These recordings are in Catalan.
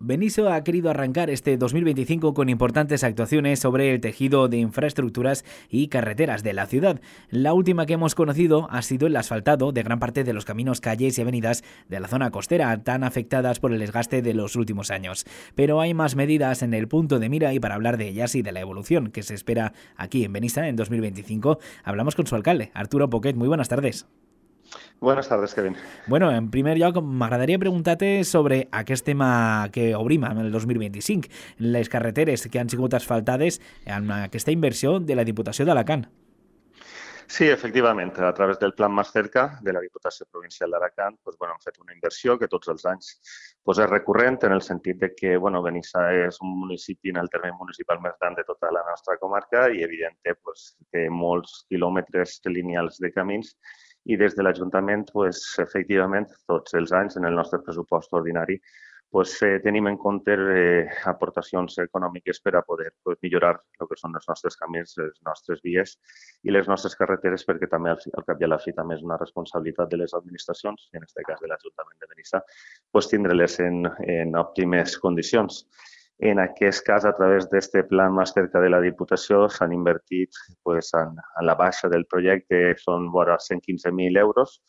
Benisso ha querido arrancar este 2025 con importantes actuaciones sobre el tejido de infraestructuras y carreteras de la ciudad. La última que hemos conocido ha sido el asfaltado de gran parte de los caminos, calles y avenidas de la zona costera, tan afectadas por el desgaste de los últimos años. Pero hay más medidas en el punto de mira y para hablar de ellas y de la evolución que se espera aquí en Benissa en 2025, hablamos con su alcalde, Arturo Poquet. Muy buenas tardes. Buenas tardes, Kevin. Bueno, en primer lloc, m'agradaria preguntar-te sobre aquest tema que obrim en el 2025, les carreteres que han sigut asfaltades amb aquesta inversió de la Diputació d'Alacant. Sí, efectivament, a través del Plan Más Cerca de la Diputació Provincial d'Alacant hem fet una inversió que tots els anys és recurrent en el sentit de que Benissa és un municipi en el terme municipal més gran de tota la nostra comarca i, evidentment, té molts quilòmetres lineals de camins i des de l'Ajuntament, efectivament, tots els anys en el nostre pressupost ordinari tenim en compte aportacions econòmiques per a poder millorar el que són els nostres camins, les nostres vies i les nostres carreteres, perquè també al cap i a la fi també és una responsabilitat de les administracions, i en aquest cas de l'Ajuntament de Benissa, tindre-les en òptimes condicions. En aquest cas, a través d'aquest Plan Más Cerca de la Diputació, s'han invertit en la baixa del projecte, són vora 115.000 euros,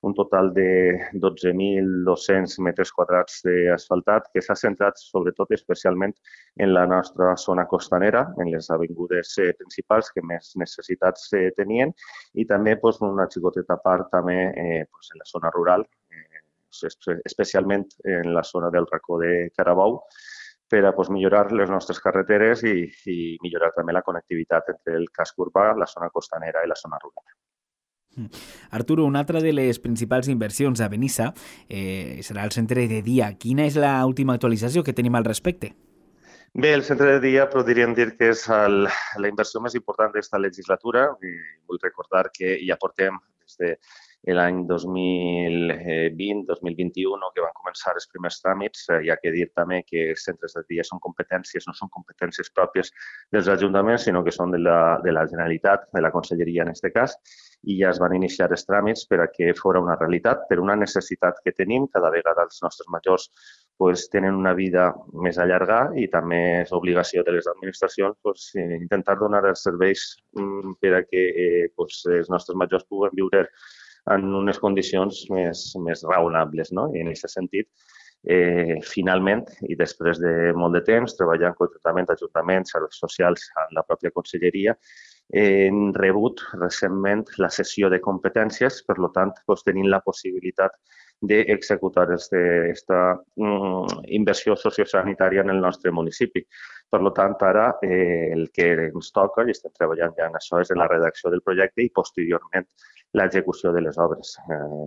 un total de 12.200 metres quadrats d'asfaltat que s'ha centrat sobretot especialment en la nostra zona costanera, en les avingudes principals que més necessitats tenien i també una xicoteta part també en la zona rural, especialment en la zona del racó de Carabou, per a millorar les nostres carreteres i millorar també la connectivitat entre el casc urbà, la zona costanera i la zona rural. Arturo, una altra de les principals inversions a Benissa serà el centre de dia. Quina és l'última actualització que tenim al respecte? Bé, el centre de dia podríem dir que és la inversió més important d'aquesta legislatura. Vull recordar que ja portem des de l'any 2020-2021 que van començar els primers tràmits. Hi ha que dir també que els centres de dia no són competències pròpies dels ajuntaments, sinó que són de la Generalitat, de la Conselleria en aquest cas, i ja es van iniciar els tràmits per a que fos una realitat, per una necessitat que tenim. Cada vegada els nostres majors tenen una vida més allargada i també és obligació de les administracions intentar donar els serveis per a que els nostres majors puguen viure en unes condicions més raonables. I en aquest sentit, finalment, i després de molt de temps, treballant conjuntament ajuntaments, serveis socials, amb la pròpia conselleria, hem rebut recentment la cessió de competències, per tant, tenint la possibilitat d'executar aquesta inversió sociosanitària en el nostre municipi. Per tant, ara el que ens toca, i estem treballant ja en això, és en la redacció del projecte i posteriorment l'execució de les obres.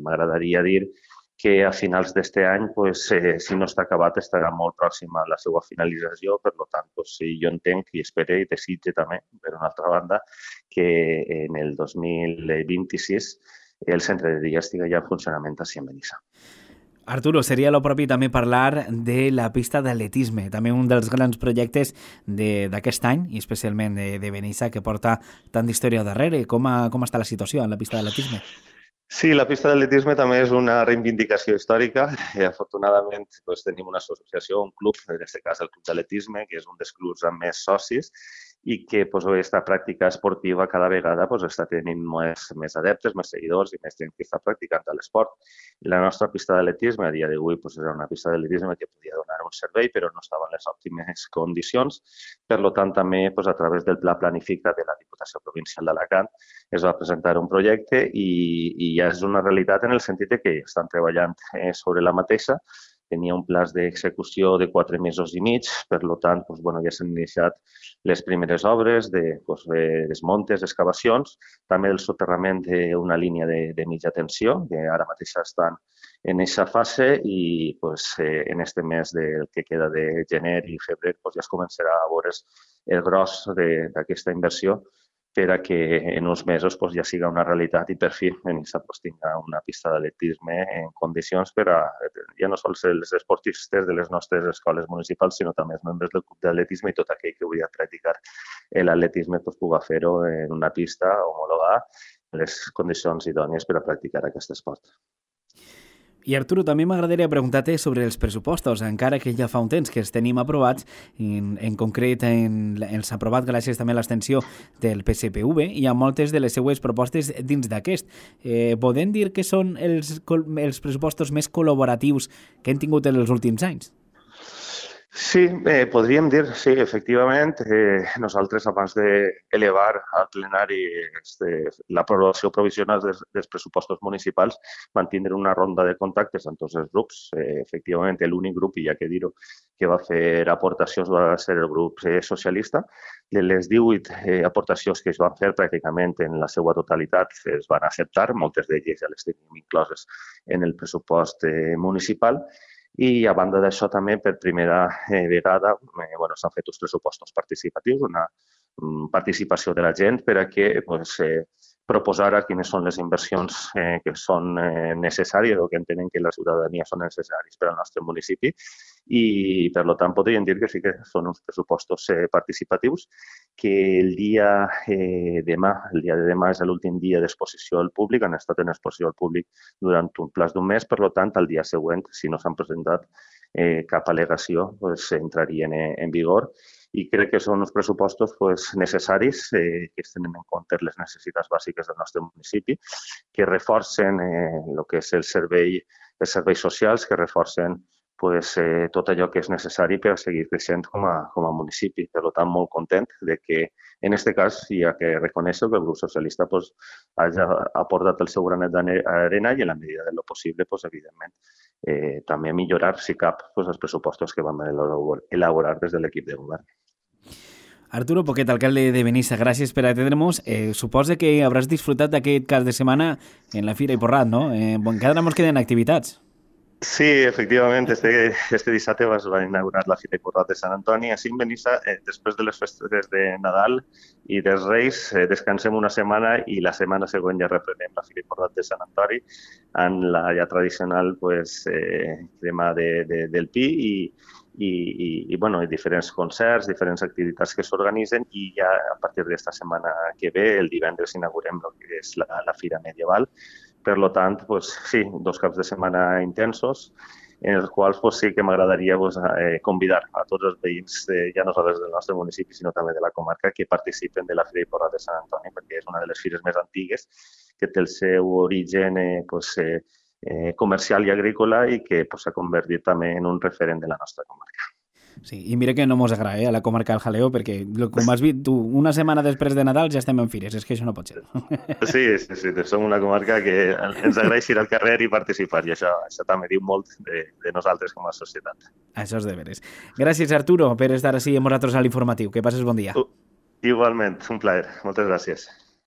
M'agradaria dir que a finals d'aquest any, si no està acabat, estarà molt pròxima a la seva finalització. Per tant, jo entenc i espero i desitge també, per una altra banda, que en el 2026 el centre de dia estigui ja en funcionament així en Benissa. Arturo, seria el propi també parlar de la pista d'atletisme, també un dels grans projectes d'aquest any, i especialment de Benissa, que porta tant d'història darrere. Com està la situació en la pista d'atletisme? Sí, la pista d'atletisme també és una reivindicació històrica. Afortunadament tenim una associació, un club, en aquest cas el Club d'Atletisme, que és un dels clubs amb més socis i que aquesta pràctica esportiva cada vegada està tenint més adeptes, més seguidors i més gent que està practicant l'esport. La nostra pista d'atletisme a dia d'avui era una pista d'atletisme que podia donar un servei, però no estava en les òptimes condicions. Per tant, també a través del Pla Planifica de la Diputació Provincial d'Alacant es va presentar un projecte i ja és una realitat en el sentit que estan treballant sobre la mateixa. Tenia un plaç d'execució de 4 mesos i mig, per tant, ja s'han iniciat les primeres obres de desmuntes, excavacions, també el soterrament d'una línia de mitja tensió, que ara mateix estan en aquesta fase i en aquest mes que queda de gener i febrer ja es començarà a veure el gros d'aquesta inversió per a que en uns mesos ja siga una realitat i per fi Benissa tingui una pista d'atletisme en condicions per a ja no sols els esportistes de les nostres escoles municipals, sinó també els membres del club d'atletisme i tot aquell que vulgui practicar l'atletisme pugui fer-ho en una pista homologada en les condicions idònies per a practicar aquest esport. I Arturo, també m'agradaria preguntar-te sobre els pressupostos, encara que ja fa un temps que els tenim aprovats, en concret els ha aprovat gràcies també a l'extensió del PSPV i a moltes de les seues propostes dins d'aquest. Podem dir que són els pressupostos més col·laboratius que hem tingut en els últims anys? Sí, podríem dir, sí, efectivament. Nosaltres, abans d'elevar al plenari l'aprovació provisional dels pressupostos municipals, vam tindre una ronda de contactes amb tots els grups. Efectivament, l'únic grup, i ja que dir-ho, que va fer aportacions va ser el grup socialista. De les 18 aportacions que es van fer, pràcticament en la seva totalitat es van acceptar. Moltes d'elles ja les tenim incloses en el pressupost municipal. I a banda d'això també per primera vegada s'han fet uns pressupostos participatius, una participació de la gent per a que proposar quines són les inversions que són necessàries o que entenen que la ciutadania són necessàries per al nostre municipi i per tant podríem dir que sí que són uns pressupostos participatius que el dia de demà és l'últim dia d'exposició al públic, han estat en exposició al públic durant un plaç d'un mes, per tant el dia següent, si no s'han presentat cap al·legació, entrarien en vigor. I crec que són uns pressupostos necessaris que es tenen en compte les necessitats bàsiques del nostre municipi, que reforcen el que és els serveis socials, que reforcen tot allò que és necessari per seguir creixent com a municipi. Per tant, molt content de que, en aquest cas, hi ha que reconèixer que el grup socialista hagi aportat el seu granet d'arena i, en la medida de lo possible, evidentment, també millorar, si cap, els pressupostos que vam elaborar des de l'equip de govern. Arturo Poquet, alcalde de Benissa, gràcies per atendre'ns. Suposo que hauràs disfrutat d'aquest cap de setmana en la Fira i Porrat, no? Encara ens queden activitats. Sí, efectivament. Este dissabte es va inaugurar la Fira i Porrat de Sant Antoni. Així en Benissa, després de les festes de Nadal i dels Reis, descansem una setmana i la setmana següent ja reprenem la Fira i Porrat de Sant Antoni en la ja tradicional crema del pi i diferents concerts, diferents activitats que s'organitzen i ja a partir d'esta setmana que ve, el divendres, inaugurem el que és la Fira Medieval. Per tant, sí, 2 caps de setmana intensos en els quals sí que m'agradaria convidar a tots els veïns, ja no només del nostre municipi, sinó també de la comarca, que participen de la Fira i Porrat de Sant Antoni, perquè és una de les fires més antigues que té el seu origen comercial i agrícola i que s'ha convertit també en un referent de la nostra comarca. Sí, i mira que no mos agrada a la comarca del Jaleo, perquè, com has vist tu, una setmana després de Nadal ja estem en fires, és que això no pot ser. Sí, som una comarca que ens agrada ir al carrer i participar, i això també diu molt de nosaltres com a societat. Això és de veres. Gràcies, Arturo, per estar així amb nosaltres a l'Informatiu. Que passes bon dia. Igualment, un plaer. Moltes gràcies.